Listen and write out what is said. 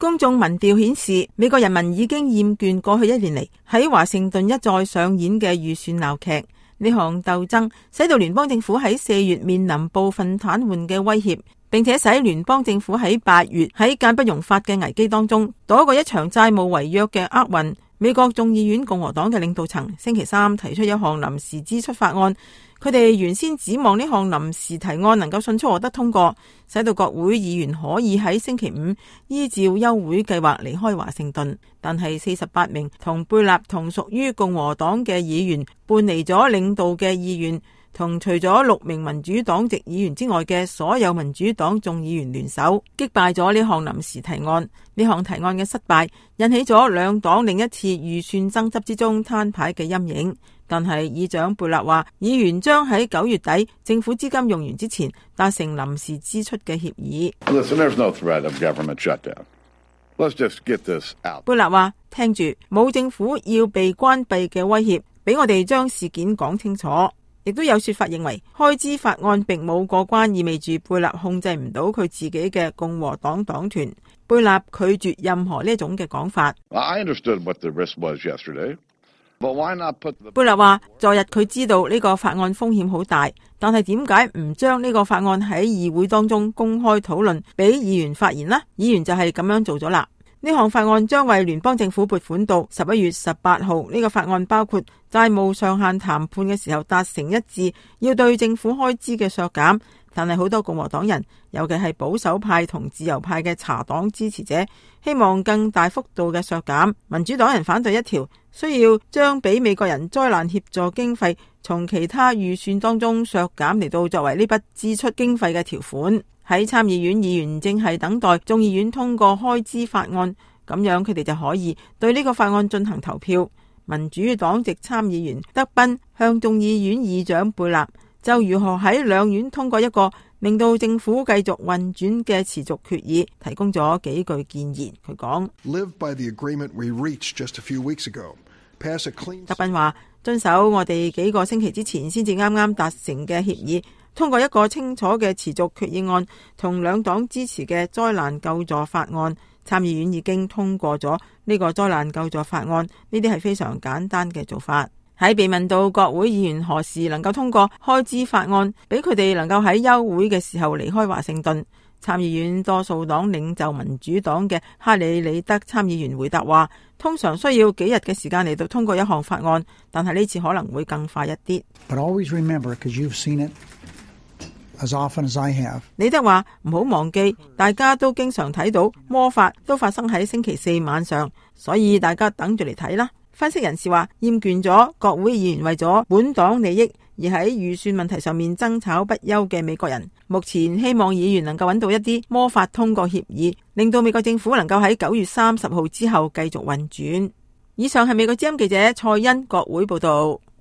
公眾民調顯示，美國人民已經厭倦過去1年嚟喺華盛頓一再上演嘅預算鬧劇。呢項鬥爭使到聯邦政府喺4月面臨部分癱瘓嘅威脅，並且使聯邦政府喺8月喺間不容發嘅危機當中躲過一場債務違約嘅厄運。美國眾議院共和黨嘅領導層星期3提出一項臨時支出法案，佢哋原先指望呢項臨時提案能夠迅速獲得通過，使到國會議員可以喺星期5依照休會計劃離開華盛頓。但係48名同貝納同屬於共和黨嘅議員叛離咗領導嘅意願，同除咗6名民主黨籍議員之外嘅所有民主黨眾議員聯手擊敗咗呢項臨時提案。呢項提案嘅失敗引起咗兩黨另一次預算爭執之中攤牌嘅陰影。但係議長貝納話，議員將喺9月底政府資金用完之前達成臨時支出嘅協議。貝納話，聽住，冇政府要被關閉嘅威脅，俾我哋將事件講清楚。亦都有說法認為開支法案並冇過關，意味住貝納控制唔到佢自己嘅共和黨黨團。貝納拒絕任何呢種嘅講法。貝納話，昨日佢知道呢個法案風險好大，但係點解唔將呢個法案喺議會當中公開討論，俾議員發言呢？議員就係咁樣做咗啦。呢項法案將為聯邦政府撥款到11月18號。呢個法案包括債務上限談判嘅時候達成一致，要對政府開支嘅削減。但係好多共和黨人，尤其係保守派同自由派嘅茶黨支持者，希望更大幅度嘅削減。民主黨人反對一條需要將俾美國人災難協助經費從其他預算當中削減嚟到作為呢筆支出經費嘅條款。喺參議院議員正係等待眾議院通過開支法案，咁樣佢哋就可以對呢個法案進行投票。民主黨籍參議員德賓向眾議院議長貝納就如何喺兩院通過一個令到政府繼續運轉嘅持續決議提供咗幾句建言。佢講，德賓話，遵守我哋幾個星期之前先至啱啱達成嘅協議，通過一個清楚嘅持續決議案同兩黨支持嘅災難救助法案。參議院已經通過咗呢個災難救助法案，呢啲係非常簡單嘅做法。喺被問到國會議員何時能夠通過開支法案，俾佢哋能夠喺休會嘅時候離開華盛頓，參議院多數黨領袖民主黨嘅哈里里德參議員回答話，通常需要幾日嘅時間嚟到通過一項法案，但係呢次可能會更快一啲。But always remember, because you've seen it as often as I have. 李德話，唔好忘記，大家都經常睇到魔法都發生喺星期4晚上，所以大家等住嚟睇啦。分析人士話，厭倦咗國會議員為咗本黨利益而喺預算問題上面爭吵不休嘅美國人，目前希望議員能夠揾到一啲魔法通過協議，令到美國政府能夠喺9月30號之後繼續運轉。以上係美國之音記者蔡欣國會報道。